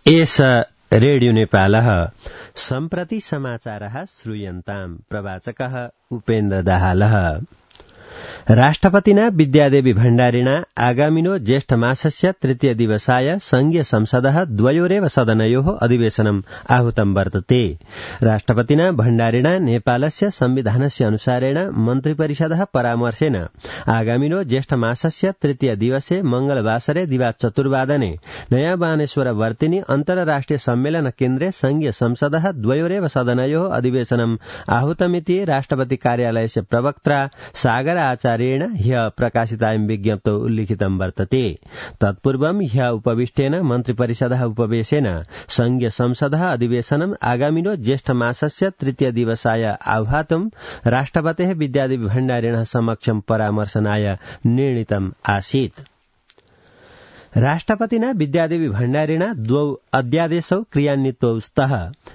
एष रेडियो नेपालः सम्प्रति समाचारः श्रूयन्ताम् प्रवाचकः उपेन्द्र दाहालः। राष्ट्रपतिना विद्यादेवी भण्डारिणा आगामिनो ज्येष्ठमासस्य तृतीय दिवसाय संघीय संसदः द्वयोरेव सदनयोः अधिवेशनम् आहूतं वर्तते। राष्ट्रपतिना भण्डारिणा नेपालस्य संविधानस्य अनुसारेण मन्त्रिपरिषदः परामर्शेन आगामिनो ज्येष्ठमासस्य तृतीय दिवसे मंगलवासरे दिवा चतुर्वादने नयाँ बानेश्वर वर्तिनी अन्तर्राष्ट्रिय सम्मेलन केन्द्रे संघीय संसदः द्वयोरेव सदनयोः अधिवेशनम् आहूतमिति राष्ट्रपति कार्यालयस्य प्रवक्ता सागर आचार्येण ह्यः प्रकाशितायां विज्ञप्तौ उल्लिखितं वर्तते। तत्पूर्वं ह्यः उपविष्टेन मन्त्रिपरिषदः उपवेशेन संघीय संसदः अधिवेशनम् आगामिनो ज्येष्ठमासस्य तृतीय दिवसाय आह्वातुं राष्ट्रपतेः विद्यादेवी भण्डारिणः समक्षं परामर्शनाय निर्णीतम् आसीत्। राष्ट्रपतिना विद्यादेवी भण्डारिणा द्वौ अध्यादेशौ क्रियान्वितौ स्तः।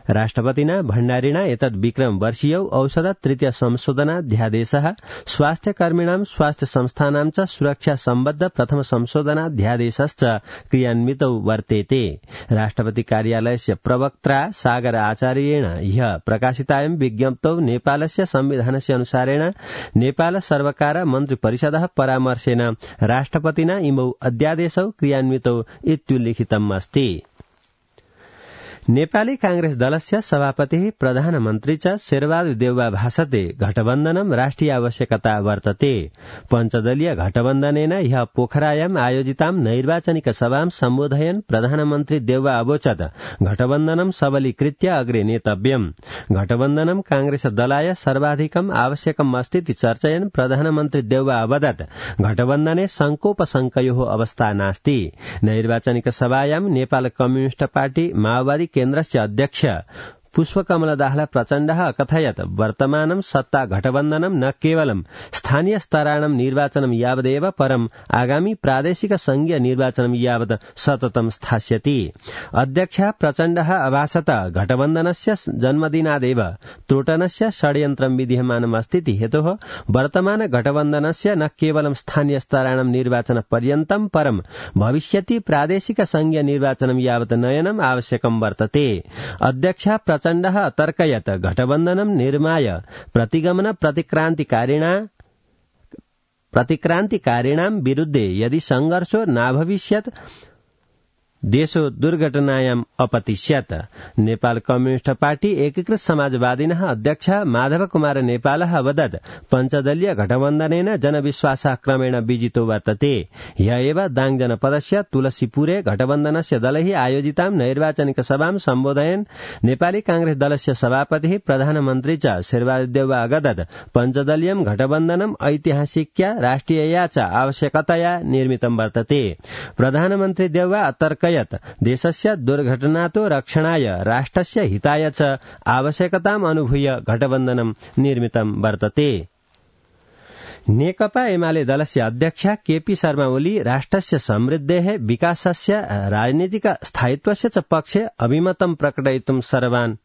राष्ट्रपतिना भण्डारिणा एतद् विक्रम वर्षीयौ औषध तृतीय संशोधनाध्यादेशः स्वास्थ्यकर्मिणां स्वास्थ्य संस्थानां च सुरक्षा सम्बद्ध प्रथम संशोधनाध्यादेशश्च क्रियान्वितौ वर्तेते। राष्ट्रपति कार्यालयस्य प्रवक्त्रा सागर आचार्येण ह्यः प्रकाशितायां विज्ञप्तौ नेपालस्य संविधानस्य अनुसारेण नेपाल सर्वकार मन्त्रिपरिषदः परामर्शेन राष्ट्रपतिना इमौ अध्यादेशौ क्रियान्वितौ इत्युल्लिखितम् अस्ति। नेपाली कांग्रेस दलस्य सभापतिः प्रधानमन्त्री च शेरबहादुर देउवा भाषते घटबन्धनं राष्ट्रिय आवश्यकता वर्तते। पञ्चदलीय घटबन्धनेन ह्यः पोखरायाम् आयोजितां नैर्वाचनिक सभां सम्बोधयन् प्रधानमन्त्री देउवा अवोचत् घटबन्धनं सबलीकृत्य अग्रे नेतव्यम्। घटबन्धनं कांग्रेस दलाय सर्वाधिकम् आवश्यकम् अस्तीति चर्चयन् प्रधानमन्त्री देउवा अवदत् घटबन्धने संकोपशंकयोः अवस्था नास्ति। नैर्वाचनिक सभायां नेपाल कम्युनिस्ट पार्टी माओवादी केन्द्रस्य अध्यक्ष पुष्पकमल दाहाल प्रचण्डः अकथयत् वर्तमानं सत्ता घटबन्धनं न केवलं स्थानीय स्तराणां निर्वाचनं यावदेव परम् आगामी प्रादेशिक संघीय निर्वाचनं यावत् सततं स्थास्यति। अध्यक्षः प्रचण्डः अभाषत घटबन्धनस्य जन्मदिनादेव त्रोटनस्य षड्यन्त्रं विद्यमानमस्तीति हेतोः वर्तमान घटबन्धनस्य न केवलं स्थानीय स्तराणां निर्वाचन पर्यन्तं परम् भविष्यति प्रादेशिक संघीय निर्वाचनं यावत् नयनम् आवश्यकं वर्तते। अध्यक्षः प्रचण्डः अतर्कयत् घटबन्धनं निर्माय प्रतिगमन प्रतिक्रान्तिकारिणां विरुद्धे यदि संघर्षो नाभविष्यत् देशो दुर्घटनायाम् अपतिष्यत्। नेपाल कम्युनिस्ट पार्टी एकीकृत समाजवादिनः अध्यक्ष माधव कुमार नेपालः अवदत् पञ्चदलीय घटबन्धनेन जनविश्वासः क्रमेण विजितो वर्तते। ह्यः एव दाङ जनपदस्य तुलसीपुरे घटबन्धनस्य दलैः आयोजितां नैर्वाचनिक सभां सम्बोधयन् नेपाली कांग्रेस दलस्य सभापतिः प्रधानमन्त्री च शेरबहादुर देउवा अवदत् पञ्चदलीयं घटबन्धनम् ऐतिहासिक्या राष्ट्रियया च आवश्यकतया निर्मितं वर्तते। प्रधानमन्त्री देउवा अतर्क देशस्य दुर्घटनातो रक्षणाय राष्ट्रस्य हिताय च आवश्यकताम् अनुभूय घटबन्धनं निर्मितं वर्तते। नेकपा एमाले दलस्य अध्यक्ष केपी शर्मा ओली राष्ट्रस्य समृद्धेः विकासस्य राजनीतिक स्थायित्वस्य च पक्षे अभिमतं प्रकटयितुं सर्वान्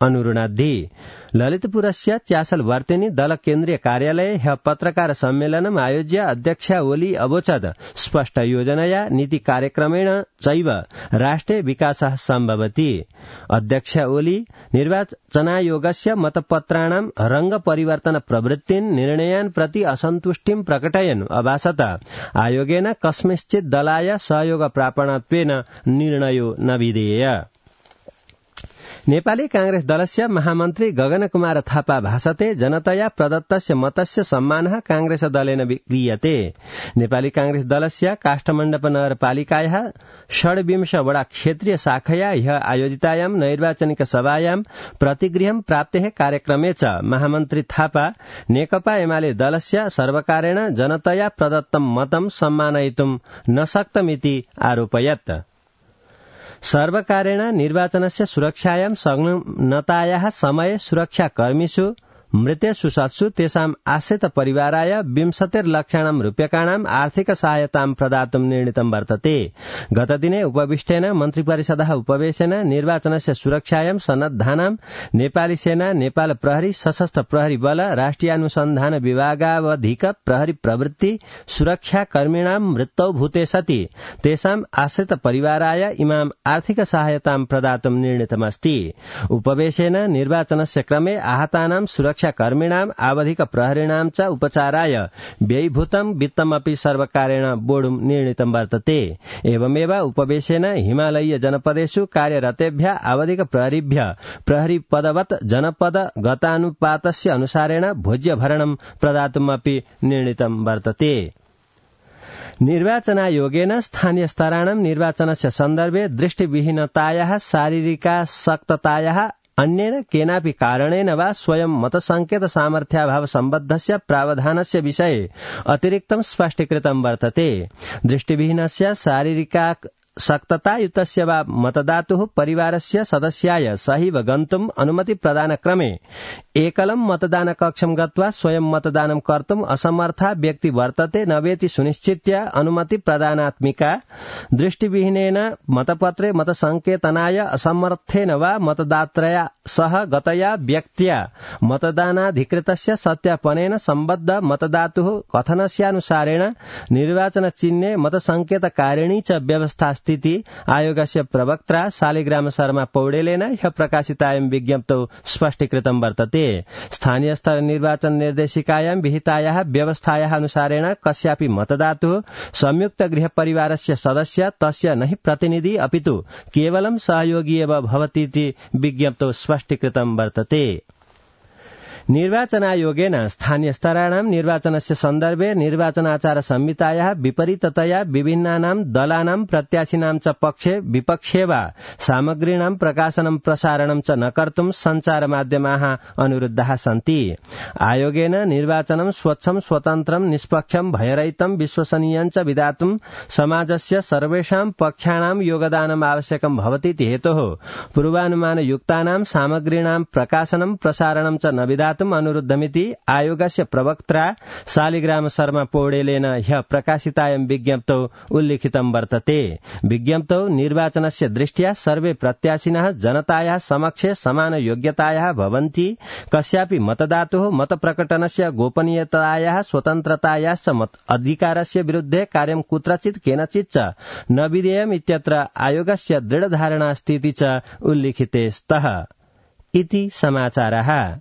अनुरुणाद्धि। ललितपुरस्य च्यासल वर्तिनी दल केन्द्रीय कार्यालये ह्यः पत्रकार सम्मेलनम् आयोज्य अध्यक्ष ओली अवोचत् स्पष्ट योजनया नीति कार्यक्रमेण चैव राष्ट्रे विकासः सम्भवति। अध्यक्ष ओली निर्वाचनायोगस्य मतपत्राणां रंग परिवर्तन प्रवृत्तिन् निर्णयान् प्रति असन्तुष्टिं प्रकटयन् अभाषत आयोगेन कस्मिंश्चित् दलाय सहयोग प्रापणत्वेन निर्णयो न विधेय। नेपाली कांग्रेस दलस्य महामन्त्री गगन कुमार थापा भाषते जनतया प्रदत्तस्य मतस्य सम्मानः कांग्रेस दलेन क्रियते। नेपाली कांग्रेस दलस्य काष्ठमण्डप नगरपालिकायाः 26 वडा क्षेत्रीय शाखया ह्यः आयोजितायां नैर्वाचनिक सभायां प्रतिगृहं प्राप्तेः कार्यक्रमे च महामन्त्री थापा नेकपा एमाले दलस्य सर्वकारेण जनतया प्रदत्तं मतं सम्मानयितुं न शक्तमिति आरोपयत्। सर्वकारेण निर्वाचनस्य सुरक्षायां संलग्नतायाः समये सुरक्षाकर्मिषु मृतेषु सत्सु तेषाम् आश्रित परिवाराय 20 लक्षाणां रूप्यकाणां आर्थिक सहायतां प्रदातुं निर्णीतं वर्तते। गतदिने उपविष्टेन मन्त्रिपरिषदः उपवेशेन निर्वाचनस्य सुरक्षायां सन्नद्धानां नेपाली सेना, नेपाल प्रहरी, सशस्त्र प्रहरी बल, राष्ट्रिय अनुसन्धान विभागावधिक प्रहरी प्रवृत्ति सुरक्षा कर्मिणां मृत्यौ भूते सति तेषाम् आश्रित परिवाराय इमाम् आर्थिक सहायतां प्रदातुं निर्णीतमस्ति। उपवेशेन निर्वाचनस्य क्रमे आहतानां सुरक्षाकर्मिणाम् आवधिक प्रहरिणां च उपचाराय व्ययीभूतं वित्तमपि सर्वकारेण वोढुं निर्णीतं वर्तते। एवमेव उपवेशेन हिमालयीय जनपदेषु कार्यरतेभ्यः आवधिक प्रहरीभ्यः प्रहरी पदवत् जनपद गतानुपातस्य अनुसारेण भोज्यभरणं प्रदातुमपि निर्णीतं वर्तते। निर्वाचनायोगेन स्थानीय स्तराणां निर्वाचनस्य सन्दर्भे दृष्टिविहीनतायाः शारीरिकाशक्ततायाः अन्येन केनापि कारणेन वा स्वयं मतसंकेत सामर्थ्याभाव सम्बद्धस्य प्रावधानस्य विषये अतिरिक्तं स्पष्टीकृतं वर्तते। दृष्टिविहीनस्य शारीरिकाशक्ततायुतस्य वा मतदातुः परिवारस्य सदस्याय सहैव गन्तुम् अनुमति प्रदानक्रमे एकलं मतदानकक्षं गत्वा स्वयं मतदानं कर्तुम् असमर्था व्यक्ति वर्तते न वेति सुनिश्चित्य अनुमति प्रदानात्मिका। दृष्टिविहीनेन मतपत्रे मतसंकेतनाय असमर्थेन वा मतदात्रया सह गतया व्यक्त्या मतदानाधिकृतस्य सत्यापनेन सम्बद्ध मतदातुः कथनस्यानुसारेण निर्वाचनचिह्ने मतसंकेतकारिणी च व्यवस्था स्थिति आयोगस्य प्रवक्त्रा शालिग्राम शर्मा पौडेलेन ह्यः प्रकाशितायां विज्ञप्तौ स्पष्टीकृतं वर्तते। स्थानीय स्तर निर्वाचन निर्देशिकायां विहितायाः व्यवस्थायाः अनुसारेण कस्यापि मतदातुः संयुक्त गृह परिवारस्य सदस्य तस्य नहि प्रतिनिधि अपितु केवलं सहयोगी एव भवतीति विज्ञप्तौ स्पष्टीकृतं वर्तते। निर्वाचनायोगेन स्थानीय स्तराणां निर्वाचनस्य सन्दर्भे निर्वाचनाचार संहितायाः विपरीततया विभिन्नानां दलानां प्रत्याशिनां च पक्षे विपक्षे वा सामग्रीणां प्रकाशनं प्रसारणं च न कर्तुं सञ्चारमाध्यमाः अनुरुद्धाः सन्ति। आयोगेन निर्वाचनं स्वच्छं स्वतन्त्रं निष्पक्षं भयरहितं विश्वसनीयं च विधातुं समाजस्य सर्वेषां पक्षाणां योगदानम् आवश्यकं भवतीति हेतोः पूर्वानुमानयुक्तानां सामग्रीणां प्रकाशनं प्रसारणं च न विधातुं अनुरुद्धमिति आयोगस्य प्रवक्त्रा शालिग्राम शर्मा पौडेलेन ह्यः प्रकाशितायां विज्ञप्तौ उल्लिखितं वर्तते। विज्ञप्तौ निर्वाचनस्य दृष्ट्या सर्वे प्रत्याशिनः जनतायाः समक्षे समान योग्यतायाः भवन्ति। कस्यापि मतदातुः मतप्रकटनस्य गोपनीयतायाः स्वतन्त्रतायाश्च मत अधिकारस्य विरुद्धे कार्यं कुत्रचित् केनचित् च न विधेयम् इत्यत्र आयोगस्य दृढधारणा अस्ति इति च उल्लिखिते स्तः इति समाचारः।